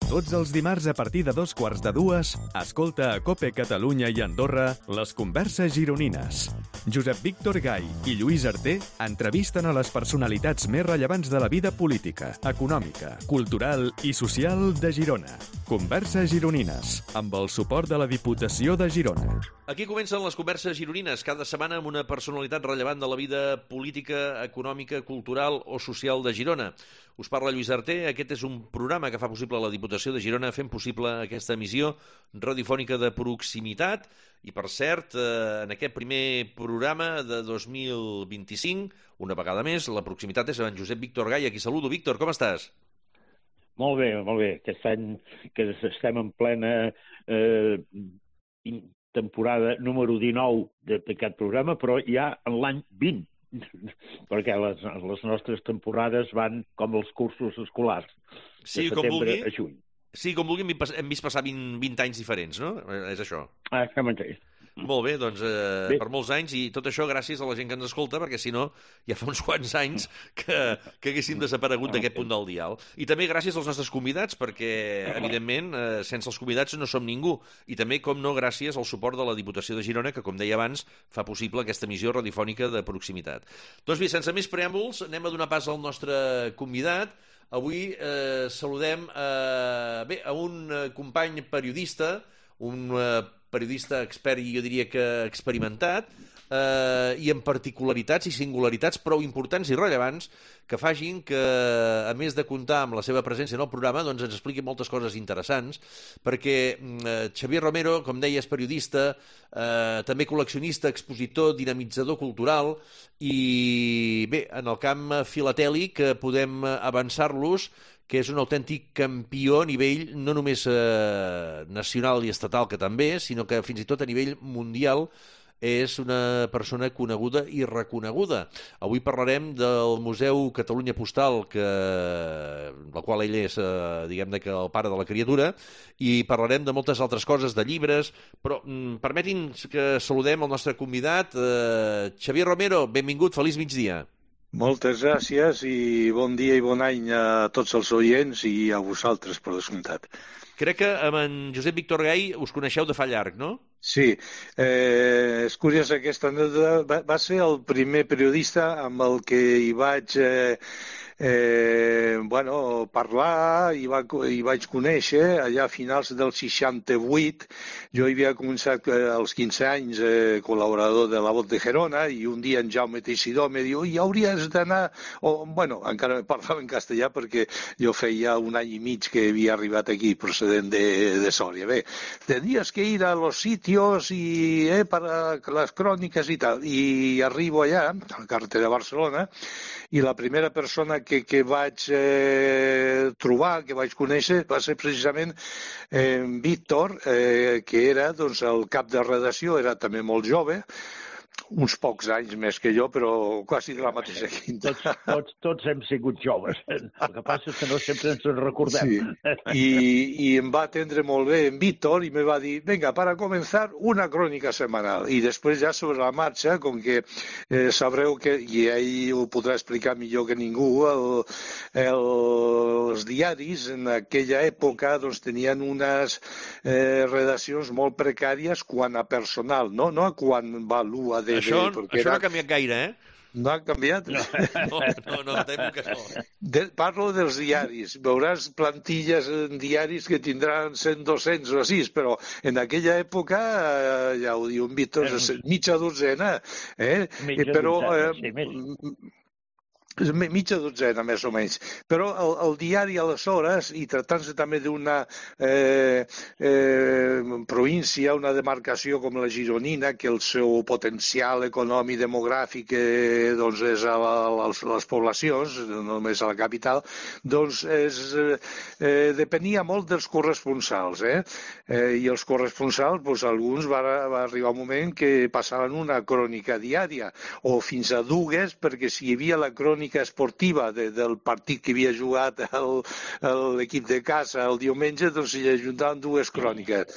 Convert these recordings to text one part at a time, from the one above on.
Tots els dimarts a partir de 2:15, escolta a COPE Catalunya i Andorra les converses gironines. Josep Víctor Gai i Lluís Arter entrevisten a les personalitats més rellevants de la vida política, econòmica, cultural i social de Girona. Converses gironines, amb el suport de la Diputació de Girona. Aquí comencen les converses gironines, cada setmana amb una personalitat rellevant de la vida política, econòmica, cultural o social de Girona. Us parla Lluís Arter, aquest és un programa que fa possible la Diputació de Girona, fent possible aquesta emissió radiofònica de proximitat. I, per cert, en aquest primer programa de 2025, una vegada més, la proximitat és amb en Josep Víctor Gai, a qui saludo. Víctor, com estàs? Molt bé, molt bé. Aquest any que estem en plena temporada número 19 d'aquest programa, però ja en l'any 20, perquè les nostres temporades van com els cursos escolars, de setembre a juny. Sí, com vulgui, hem vist passar 20 anys diferents, no? És això. Això mateix. Molt bé, doncs per molts anys, i tot això gràcies a la gent que ens escolta, perquè si no, ja fa uns quants anys que haguéssim desaparegut d'aquest punt del dial. I també gràcies als nostres convidats, perquè, evidentment, sense els convidats no som ningú. I també, com no, gràcies al suport de la Diputació de Girona, que, com deia abans, fa possible aquesta emissió radiofònica de proximitat. Doncs bé, sense més preàmbuls, anem a donar pas al nostre convidat. Avui saludem a un company periodista, un periodista expert i jo diria que experimentat, i amb particularitats i singularitats prou importants i rellevants que facin que, a més de comptar amb la seva presència en el programa, doncs ens expliqui moltes coses interessants, perquè Xavier Romero, com deia, és periodista, també col·leccionista, expositor, dinamitzador cultural, i bé, en el camp filatèlic podem avançar-los que és un autèntic campió a nivell no només nacional i estatal, que també, sinó que fins i tot a nivell mundial és una persona coneguda i reconeguda. Avui parlarem del Museu Catalunya Postal, del qual ell és, diguem-ne, que el pare de la criatura, i parlarem de moltes altres coses, de llibres, però permetin que saludem el nostre convidat, Xavier Romero. Benvingut, feliç migdia. Moltes gràcies i bon dia i bon any a tots els oients i a vosaltres, per descomptat. Crec que amb en Josep Víctor Gai us coneixeu de fa llarg, no? Sí, és curiós aquesta anècdota. Va ser el primer periodista amb el que hi vaig parlar i vaig conèixer allà a finals del 68. Jo havia començat als 15 anys col·laborador de La Voz de Gerona i un dia en Jaume Teixidor me diu: i hauries d'anar... encara parlava en castellà perquè jo feia un any i mig que havia arribat aquí procedent de Sòria. Bé, tendrías que ir a los sitios y para las crónicas y tal. I arribo allà, a la carretera de Barcelona, i la primera persona que vaig trobar, que vaig conèixer, va ser precisament Víctor, que era doncs, el cap de redacció, era també molt jove, uns pocs anys més que jo, però quasi de la mateixa quinta. Tots hem sigut joves. El que passa és que no sempre ens en recordem. Sí. I em va atendre molt bé en Víctor i me va dir: venga, para comenzar, una crònica setmanal. I després ja sobre la marxa, com que sabreu que, i ell ho podrà explicar millor que ningú, els diaris en aquella època doncs, tenien unes redaccions molt precàries quant a personal, no a quant valua de... Això no ha canviat gaire, eh? No ha canviat? No, temo que no. Parlo dels diaris. Veuràs plantilles en diaris que tindran 100, 200 o així, però en aquella època, ja ho diu en Víctor, mitja dotzena. Mitja dotzena, més o menys. Però el diari, aleshores, i tractant-se també d'una província, una demarcació com la gironina, que el seu potencial econòmic demogràfic doncs és a les poblacions, no només a la capital, doncs depenia molt dels corresponsals. I els corresponsals, doncs, alguns va arribar un moment que passaven una crònica diària, o fins a dues, perquè si hi havia la crònica esportiva del partit que havia jugat l'equip de casa el diumenge, doncs s'hi ajuntaven dues cròniques.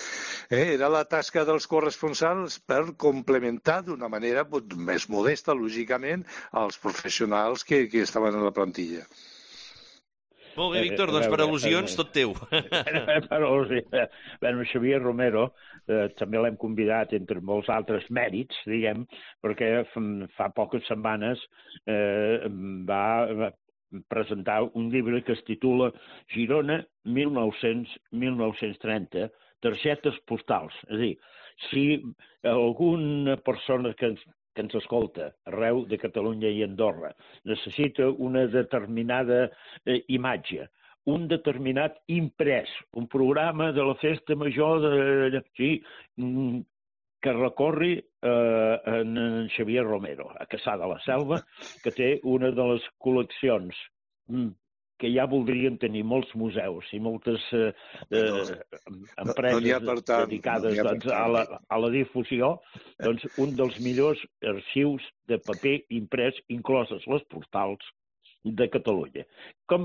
Era la tasca dels corresponsals per complementar d'una manera més modesta, lògicament, als professionals que estaven a la plantilla. Molt bé, Víctor, doncs per al·lusions tot teu. Bueno, Xavier Romero també l'hem convidat, entre molts altres mèrits, diguem, perquè fa poques setmanes va presentar un llibre que es titula Girona 1930, targetes postals. És a dir, si alguna persona que ens escolta arreu de Catalunya i Andorra necessita una determinada imatge, un determinat imprès, un programa de la festa major que recorri en Xavier Romero, a Cassà de la Selva, que té una de les col·leccions que ja voldrien tenir molts museus i moltes empreses dedicades a la difusió, doncs un dels millors arxius de paper imprès, incloses les postals, de Catalunya. A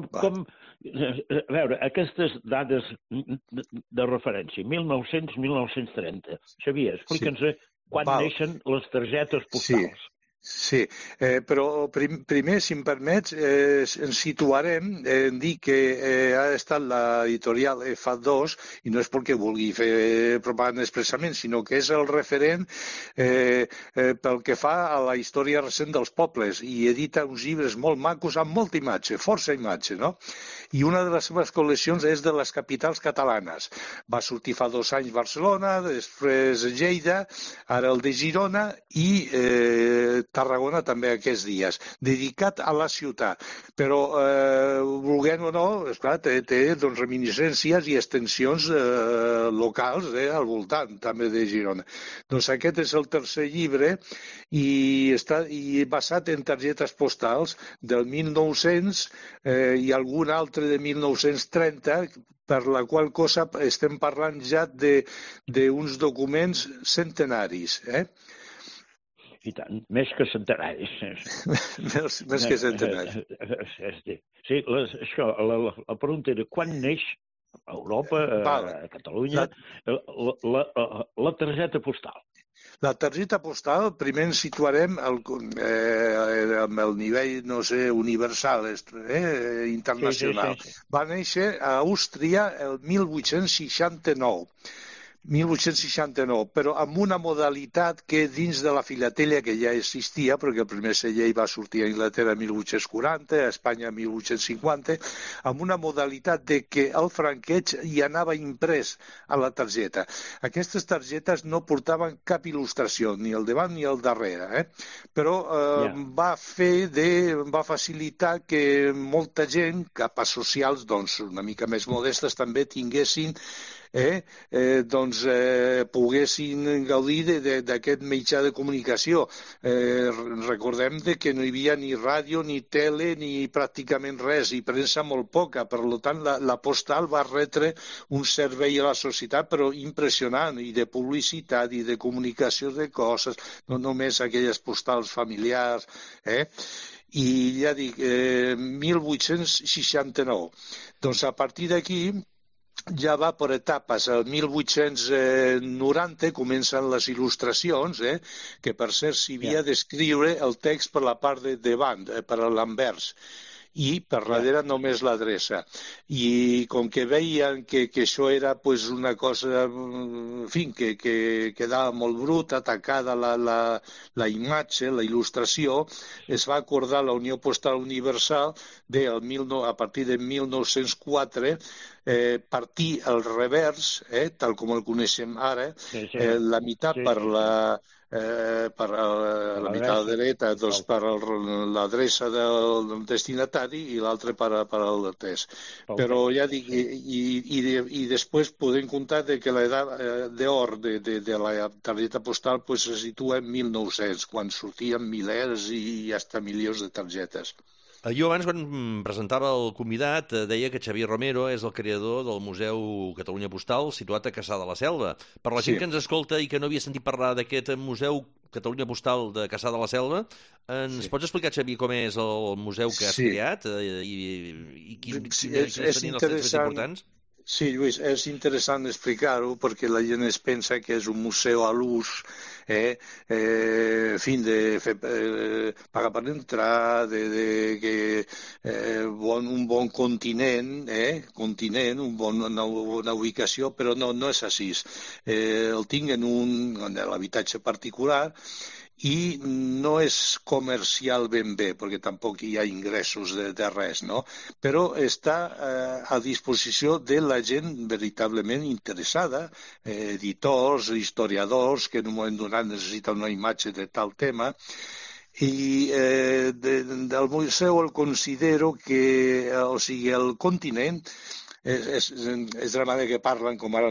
veure, aquestes dades de referència, 1900-1930. Xavier, explica'ns quan neixen les targetes postals. Sí, però primer, si em permets, ens situarem en dir que ha estat l'editorial FA2, i no és perquè vulgui fer propaganda expressament, sinó que és el referent pel que fa a la història recent dels pobles, i edita uns llibres molt macos amb molta imatge, força imatge, no? I una de les seves col·leccions és de les capitals catalanes. Va sortir fa 2 anys Barcelona, després Lleida, ara el de Girona i Tarragona també aquests dies, dedicat a la ciutat. Però, volguem o no, esclar, té doncs, reminiscències i extensions locals al voltant també de Girona. Doncs aquest és el tercer llibre i està basat en targetes postals del 1900 i algun altre de 1930, per la qual cosa estem parlant ja d'uns documents centenaris, I tant, més que centenaris. Més que centenaris. Sí, això, la pregunta era quan neix a Europa, a Catalunya, la targeta postal? La targeta postal, primer ens situarem amb el nivell, no sé, universal, internacional. Sí. Va néixer a Àustria el 1869, però amb una modalitat que dins de la filatèlia que ja existia, perquè el primer segell va sortir a Anglaterra en 1840, a Espanya en 1850, amb una modalitat de que el franqueig hi anava imprès a la targeta. Aquestes targetes no portaven cap il·lustració, ni al davant ni al darrere, però va facilitar que molta gent, capes socials, doncs una mica més modestes, també tinguessin poguessin gaudir d'aquest mitjà de comunicació. Recordem que no hi havia ni ràdio, ni tele, ni pràcticament res, i premsa molt poca. Per tant, la postal va retre un servei a la societat, però impressionant, i de publicitat, i de comunicació de coses, no només aquelles postals familiars, I ja dic, 1869. Doncs a partir d'aquí ja va per etapes. El 1890 comencen les il·lustracions, que per cert s'hi havia d'escriure el text per la part de davant, per l'anvers, i per darrere només l'adreça. I com que veien que això era una cosa, en fi, que quedava molt brut, atacada la imatge, la il·lustració, es va acordar la Unió Postal Universal a partir de 1904 partir el revers, tal com el coneixem ara, la meitat per la meitat dreta, doncs per l'adreça del destinatari i l'altre per al test. Però ja dic, i després podem comptar que l'edat d'or de la targeta postal se situa en 1900, quan sortien milers i fins milions de targetes. Jo abans, quan presentava el convidat, deia que Xavier Romero és el creador del Museu Catalunya Postal, situat a Cassà de la Selva. Per la gent que ens escolta i que no havia sentit parlar d'aquest Museu Catalunya Postal de Cassà de la Selva, ens pots explicar, Xavier, com és el museu que has creat i quins serien els trets més importants? Sí, Lluís, és interessant explicar-ho perquè la gent es pensa que és un museu a l'ús, en fi, de fer, pagar per entrar, un bon continent, una ubicació, però no és així. El tinc en l'habitatge particular, i no és comercial ben bé, perquè tampoc hi ha ingressos de res, no? Però està a disposició de la gent veritablement interessada, editors, historiadors, que en un moment donat necessiten una imatge de tal tema, i del museu el considero que, o sigui, el continent és de la manera que parlen com ara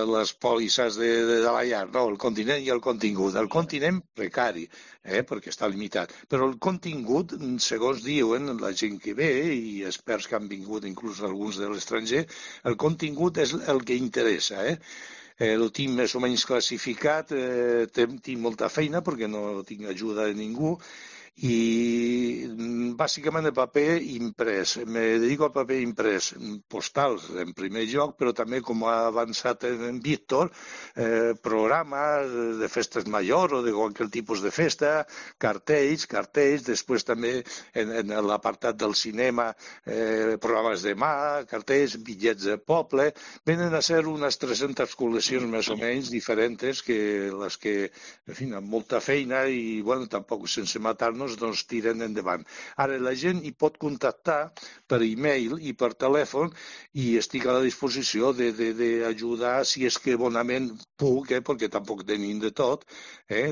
les pòlisses de la llar, no? El continent i el contingut. El continent precari, perquè està limitat. Però el contingut, segons diuen la gent que ve i experts que han vingut, inclús alguns de l'estranger, el contingut és el que interessa, el tinc més o menys classificat, tinc molta feina perquè no tinc ajuda de ningú, i bàsicament el paper imprès. Me dedico al paper imprès, postals en primer lloc, però també, com ha avançat en Víctor, programes de festes majors o de qualsevol tipus de festa, cartells, després també en l'apartat del cinema, programes de mà, cartells, bitllets de poble. Venen a ser unes 300 col·leccions més o menys diferents que les que, en fi, amb molta feina i, bueno, tampoc sense matar-nos, doncs tiren endavant. Ara, la gent hi pot contactar per e-mail i per telèfon i estic a la disposició d'ajudar, si és que bonament puc, perquè tampoc tenim de tot,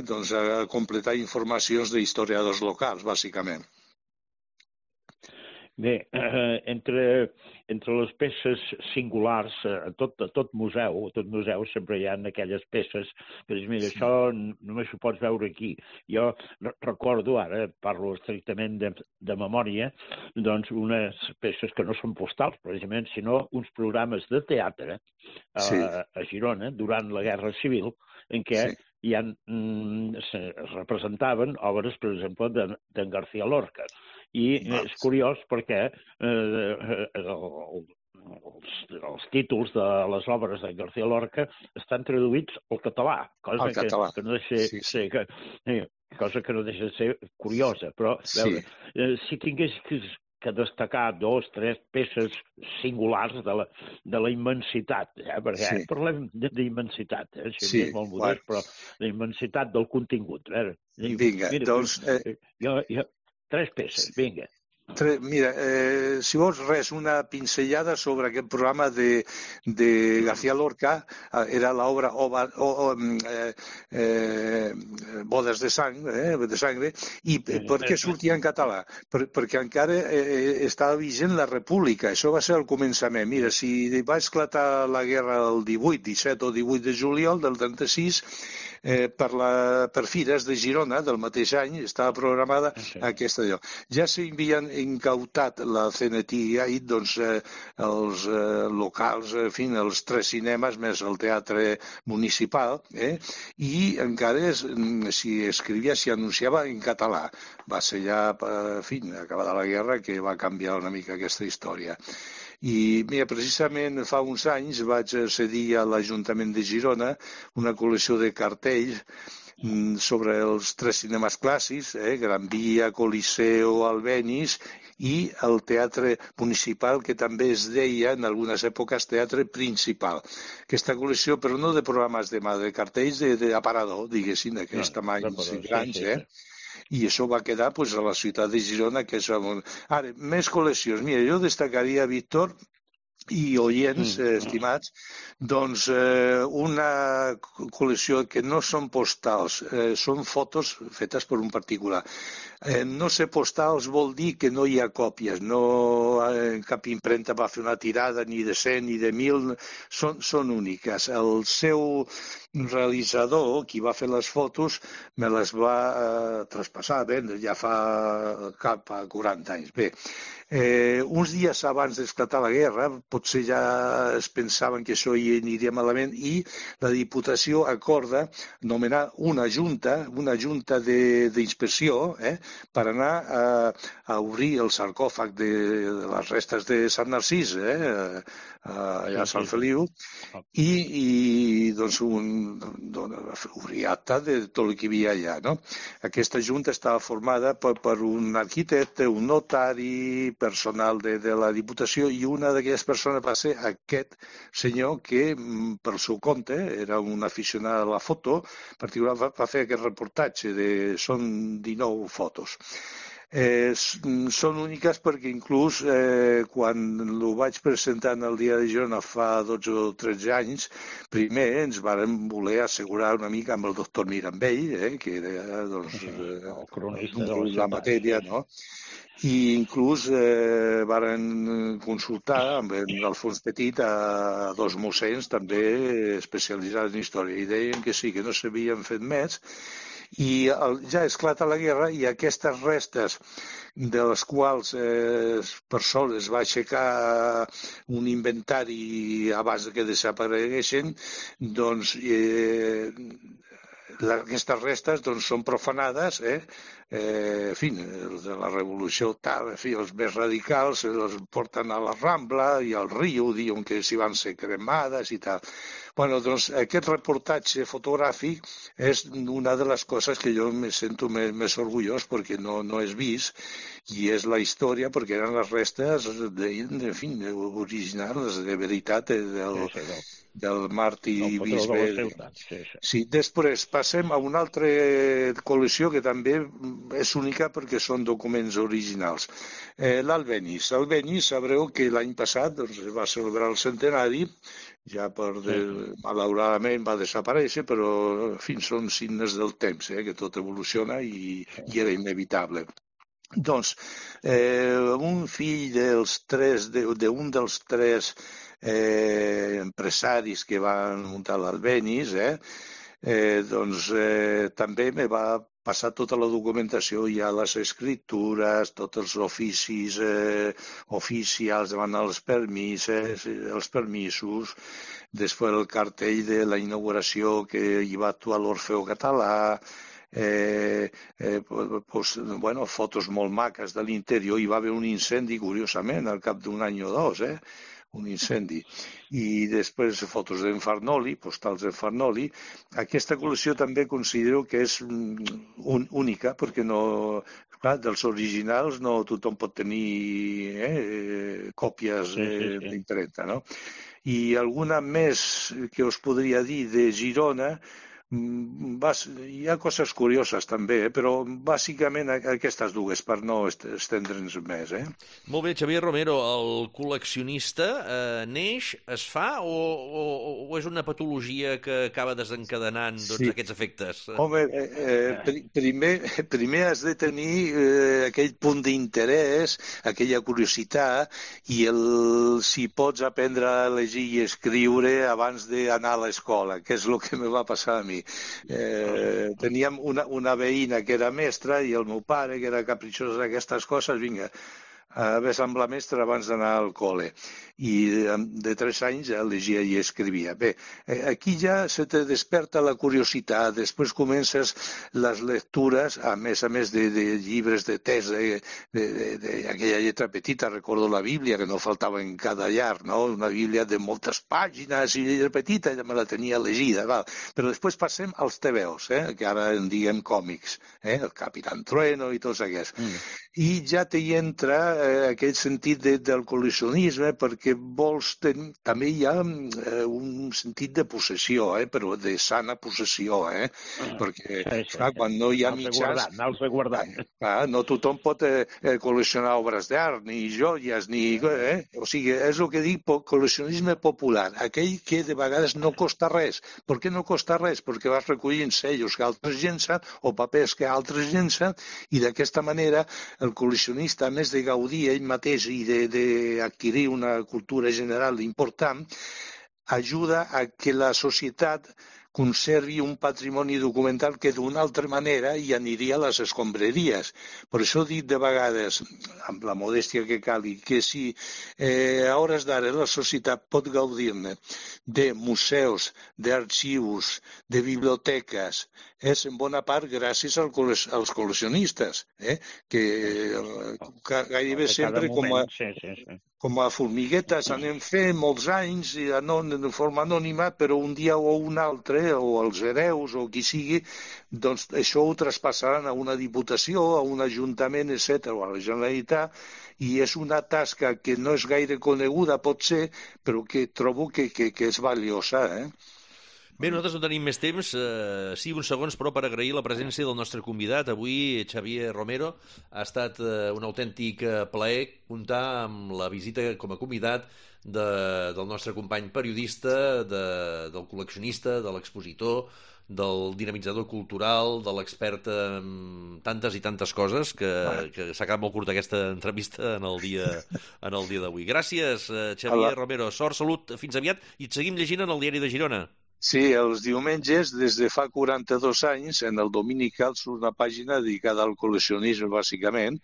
doncs a completar informacions d'historiadors locals, bàsicament. Bé, entre les peces singulars, a tot museu sempre hi ha aquelles peces que dius, mira, això només ho pots veure aquí. Jo recordo, ara parlo estrictament de memòria, doncs unes peces que no són postals, precisament, sinó uns programes de teatre a Girona durant la Guerra Civil, en què es representaven obres, per exemple, d'en García Lorca. I és curiós perquè els títols de les obres de García Lorca estan traduïts al català, cosa que no deixa de ser curiosa. Però, veure, si tingués que destacar 2 o 3 peces singulars de la immensitat, perquè parlem d'immensitat, això és molt modest, però la immensitat del contingut. Vinga, doncs... 3 peces, vinga. Mira, si vols res, una pinzellada sobre aquest programa de García Lorca, era l'obra Bodes de Sangre, i per què sortia en català? Perquè encara estava vigent la República, això va ser el començament. Mira, si va esclatar la guerra el 17 o 18 de juliol del 36, per Fires de Girona del mateix any estava programada aquesta lloc. Ja s'havien incautat la CNT, doncs els locals, en fi, els 3 cinemes més el teatre municipal, i encara s'hi escrivia, s'hi anunciava en català. Va ser ja, en fi, acabada la guerra, que va canviar una mica aquesta història. I mira, precisament fa uns anys vaig cedir a l'Ajuntament de Girona una col·lecció de cartells sobre els 3 cinemes clàssics, Gran Via, Coliseo, Albéniz, i el teatre municipal, que també es deia en algunes èpoques teatre principal. Aquesta col·lecció, però no de programes de mà, de cartells d'aparador, diguéssim, d'aquest tamanys grans, i això va quedar a la ciutat de Girona, que és... Ara, més col·leccions. Mira, jo destacaria, Víctor, i oients, estimats, doncs una col·lecció que no són postals, són fotos fetes per un particular. No ser postals vol dir que no hi ha còpies, cap impremta va fer una tirada ni de 100 ni de 1000, són úniques. El seu realitzador, qui va fer les fotos, me les va traspassar, ja fa cap a 40 anys. Bé, uns dies abans d'esclatar la guerra, potser ja es pensaven que això hi aniria malament, i la Diputació acorda nomenar una junta d'inspecció per anar a obrir el sarcòfag de les restes de Sant Narcís, allà a Sant Feliu, i doncs obrir acte de tot el que hi havia allà. No? Aquesta junta estava formada per un arquitecte, un notari, personal de la Diputació, i una d'aquelles persones va ser aquest senyor que, pel seu compte, era un aficionat a la foto, particular, va fer aquest reportatge, són 19 fotos. Són úniques perquè inclús quan ho vaig presentar en el Diari de Girona fa 12 o 13 anys, primer ens vàrem voler assegurar una mica amb el doctor Mirambell, que era el cronista de la matèria, no? I inclús varen consultar amb l'Alfons Petit a 2 mossens també especialitzats en història, i deien que sí, que no s'havien fet més. I ja esclata la guerra i aquestes restes de les quals per sort es va aixecar un inventari abans que desapareguessin, doncs aquestes restes són profanades, en fi, els de la revolució tal, en fi, els més radicals els porten a la Rambla i al riu, diuen que s'hi van ser cremades i tal. Bueno, doncs aquest reportatge fotogràfic és una de les coses que jo me sento més orgullós perquè no és vist, i és la història perquè eren les restes, en fi, originals, de veritat, del màrtir bisbe. Sí, després passem a una altra col·lecció que també és única perquè són documents originals. L'Albéniz. L'Albéniz, sabreu que l'any passat va celebrar el centenari, ja malauradament va desaparèixer, però en fi, són signes del temps, que tot evoluciona i era inevitable. Doncs, un fill d'un dels 3 empresaris que van muntar l'Albéniz, doncs també me va passar tota la documentació, ja les escritures, tots els oficis oficials, demanar els permisos, després el cartell de la inauguració que hi va actuar l'Orfeó Català, fotos molt maques de l'interior. Hi va haver un incendi, curiosament, al cap d'un any o 2, un incendi. I després fotos d'en Farnoli, postals d'en Farnoli. Aquesta col·lecció també considero que és única, perquè clar, dels originals no tothom pot tenir còpies d'impremta, no? I alguna més que us podria dir de Girona, hi ha coses curioses també, però bàsicament aquestes dues, per no estendre'ns més. Molt bé, Xavier Romero, el col·leccionista neix, es fa o és una patologia que acaba desencadenant aquests efectes? Home, primer has de tenir aquell punt d'interès, aquella curiositat, i si pots aprendre a llegir i escriure abans d'anar a l'escola, que és el que me va passar a mi. Teníem una veïna que era mestra i el meu pare, que era capritxós d'aquestes coses, vinga, ves amb la mestra abans d'anar al col·le. I de 3 anys ja llegia i escrivia. Bé, aquí ja se te desperta la curiositat, després comences les lectures, a més de llibres de text, d'aquella lletra petita, recordo la Bíblia, que no faltava en cada llar, no? Una Bíblia de moltes pàgines i lletra petita, ja me la tenia llegida, val? Però després passem als TVOs, que ara en diguem còmics, el Capitán Trueno i tots aquests. I ja t'hi entra aquell sentit del col·leccionisme, perquè també hi ha un sentit de possessió, però de sana possessió, perquè clar, quan no hi ha mitjans, no tothom pot col·leccionar obres d'art, ni joies, o sigui, és el que dic, col·leccionisme popular, aquell que de vegades no costa res. Per què no costa res? Perquè vas recollint sellos que altres llencen o papers que altres llencen, i d'aquesta manera el col·leccionista, a més de gaudir ell mateix i d'adquirir una cultura general important, ajuda a que la societat conservi un patrimoni documental que d'una altra manera hi aniria a les escombraries. Per això dic de vegades, amb la modèstia que calgui, que si a hores d'ara la societat pot gaudir-ne de museus, d'arxius, de biblioteques, és en bona part gràcies als col·leccionistes, que gairebé sempre com a formiguetes anem fent molts anys de forma anònima, però un dia o un altre, o els hereus o qui sigui, doncs això ho traspassaran a una diputació, a un ajuntament, etc., o a la Generalitat, i és una tasca que no és gaire coneguda, pot ser, però que trobo que és valiosa, Bé, nosaltres no tenim més temps. Sí, uns segons, però, per agrair la presència del nostre convidat. Avui, Xavier Romero, ha estat un autèntic plaer comptar amb la visita com a convidat del nostre company periodista, del col·leccionista, de l'expositor, del dinamitzador cultural, de l'expert en tantes i tantes coses, que s'ha quedat molt curta aquesta entrevista en el dia d'avui. Gràcies, Xavier Romero. Sort, salut, fins aviat, i et seguim llegint en el Diari de Girona. Sí, els diumenges, des de fa 42 anys, en el Dominical surt una pàgina dedicada al col·leccionisme, bàsicament,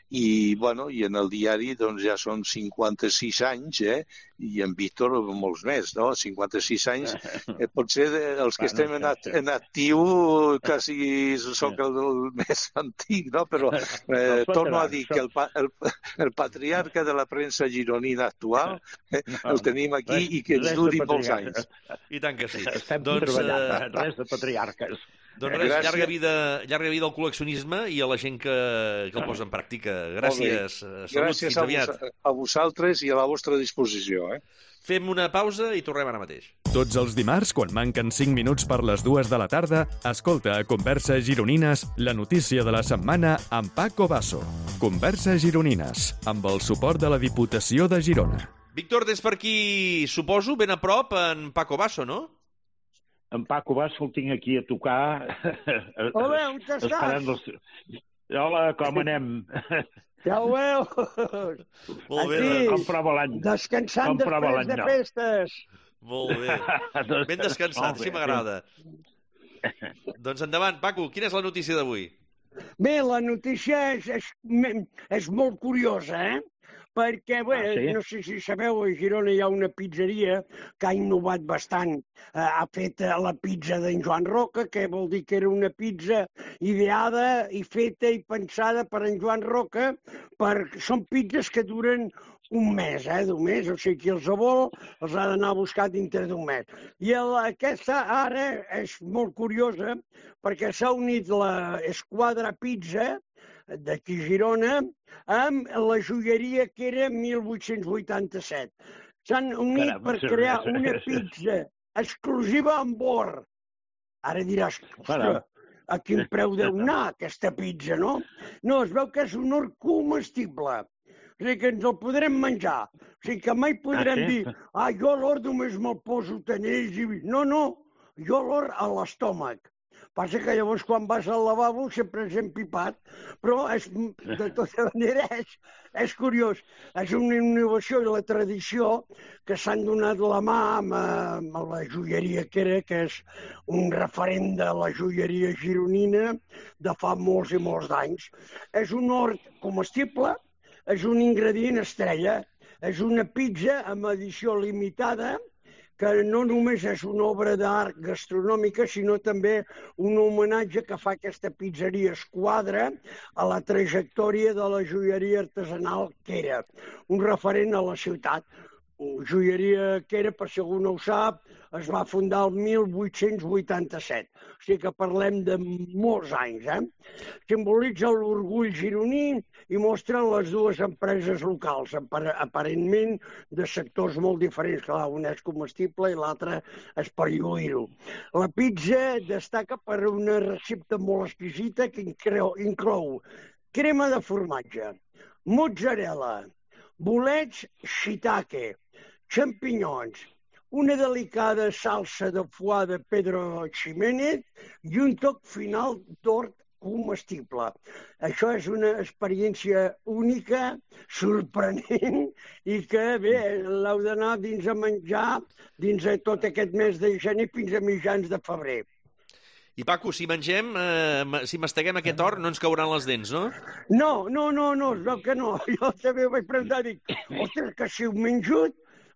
i en el diari doncs, ja són 56 anys, i en Víctor molts més, no? 56 anys. Potser els que estem en actiu quasi soc el més antic, no? Però torno a dir que el patriarca de la premsa gironina actual el tenim aquí i que ens duri molts anys. I tant que sí. Estem treballant, res de patriarques. Doncs res, llarga vida al col·leccionisme i a la gent que el posa en pràctica. Gràcies. Salut, fins aviat. Gràcies a vosaltres i a la vostra disposició. Fem una pausa i tornem ara mateix. Tots els dimarts, quan manquen 5 minuts per les 2 de la tarda, escolta a Converses Gironines la notícia de la setmana amb Paco Basso. Converses Gironines, amb el suport de la Diputació de Girona. Víctor, des per aquí, suposo, ben a prop, en Paco Basso, no? En Paco Basso el tinc aquí a tocar. Hola, on estàs? Hola, com anem? Ja ho veus? Molt bé. Com prova l'any? Descansant després de festes. Molt bé. Ben descansat, així m'agrada. Doncs endavant, Paco, quina és la notícia d'avui? Bé, la notícia és molt curiosa, perquè, no sé si sabeu, a Girona hi ha una pizzeria que ha innovat bastant. Ha fet la pizza d'en Joan Roca, que vol dir que era una pizza ideada i feta i pensada per en Joan Roca. Són pizzas que duren un mes, d'un mes, o sigui, qui els vol els ha d'anar a buscar dintre d'un mes. I aquesta ara és molt curiosa perquè s'ha unit la Esquadra Pizza d'aquí a Girona amb la joieria que era 1887. S'han unit per crear una pizza exclusiva amb or. Ara diràs, ostres, a quin preu deu anar aquesta pizza, no? No, es veu que és un or comestible. O sigui que ens el podrem menjar. O sigui que mai podrem dir, jo l'or només me'l poso tanells i... No, jo l'or a l'estómac. Passa que llavors quan vas al lavabo sempre és empipat, però de tota manera és curiós. És una innovació i la tradició que s'han donat la mà amb la joieria que és un referent de la joieria gironina de fa molts i molts d'anys. És un hort comestible, és un ingredient estrella, és una pizza amb edició limitada, que no només és una obra d'art gastronòmica, sinó també un homenatge que fa aquesta pizzeria Esquadra a la trajectòria de la joieria artesanal que era un referent a la ciutat. Joieria que era, per si algú no ho sap, es va fundar el 1887. O sigui que parlem de molts anys, Simbolitza l'orgull gironí i mostra les dues empreses locals, aparentment de sectors molt diferents. Clar, una és comestible i l'altra és per lluir-ho. La pizza destaca per una recepta molt exquisita que inclou crema de formatge, mozzarella, bolets shiitake, xampinyons, una delicada salsa de foie de Pedro Ximénez i un toc final d'hort comestible. Això és una experiència única, sorprenent, i que, bé, l'heu d'anar dins a menjar dins de tot aquest mes de gener fins a mitjans de febrer. I, Paco, si mengem, si masteguem aquest or, no ens cauran les dents, no? No, es veu que no. Jo també ho vaig preguntar, dic, ostres, que si ho menjo,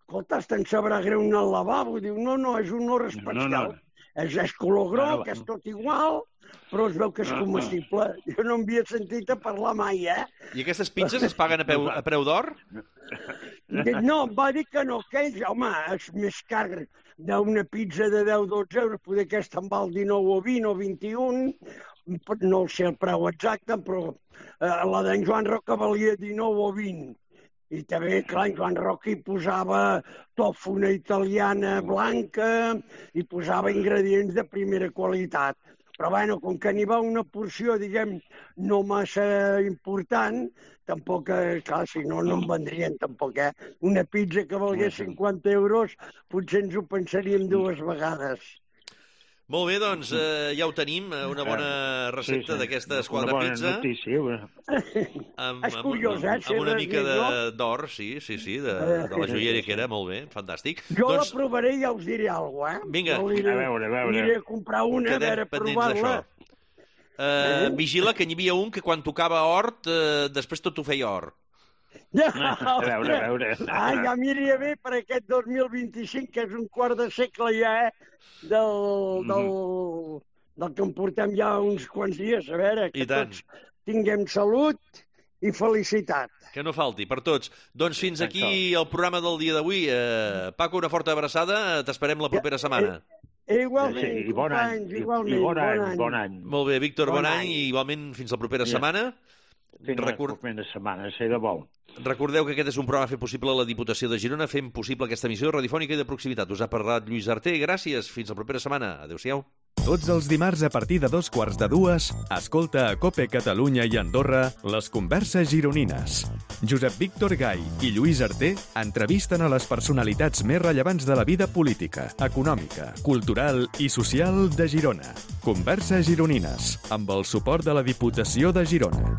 escolta, te'n sabrà greu anar al lavabo. Diu, no, és un or especial. És color groc, és tot igual, però es veu que és comestible. Jo no m'havia sentit a parlar mai, I aquestes pizzas es paguen a preu d'or? No, va dir que no, que ells, home, és més car d'una pizza de 10-12 euros, poder aquesta en val 19 o 20 o 21, no sé el preu exacte, però la d'en Joan Roca valia 19 o 20. I també, clar, en Joan Roca hi posava tòfona italiana blanca, i posava ingredients de primera qualitat. Però, bueno, com que n'hi va una porció, diguem, no massa important, tampoc, clar, si no, no en vendrien, tampoc, Una pizza que valgués 50 euros, potser ens ho pensaríem 2 vegades. Molt bé, doncs, ja ho tenim, una bona recepta d'aquesta esquadra pizza. Una bona notícia. És curiós, amb una mica d'or, sí, de la joieria que era, molt bé, fantàstic. Jo la provaré i ja us diré alguna cosa, Vinga. A veure. Aniré a comprar una, a veure, provar-la. Vigila que n'hi havia un que quan tocava hort, després tot ho feia or. A veure. Ja m'aniria bé per aquest 2025, que és un quart de segle ja, del que em portem ja uns quants dies. A veure, que tots tinguem salut i felicitat. Que no falti, per tots. Doncs fins aquí el programa del dia d'avui. Paco, una forta abraçada. T'esperem la propera setmana. Igualment, i bon any. igualment. Bon any. Molt bé, Víctor, bon any i igualment fins la propera setmana. Fins la propera setmana, sé de bo. Recordeu que aquest és un programa fet possible a la Diputació de Girona, fent possible aquesta emissió radiofònica i de proximitat. Us ha parlat Lluís Arté. Gràcies. Fins la propera setmana. Adéu-siau. Tots els dimarts a partir de 2:15, escolta a COPE Catalunya i Andorra les converses gironines. Josep Víctor Gai i Lluís Arté entrevisten a les personalitats més rellevants de la vida política, econòmica, cultural i social de Girona. Converses gironines, amb el suport de la Diputació de Girona.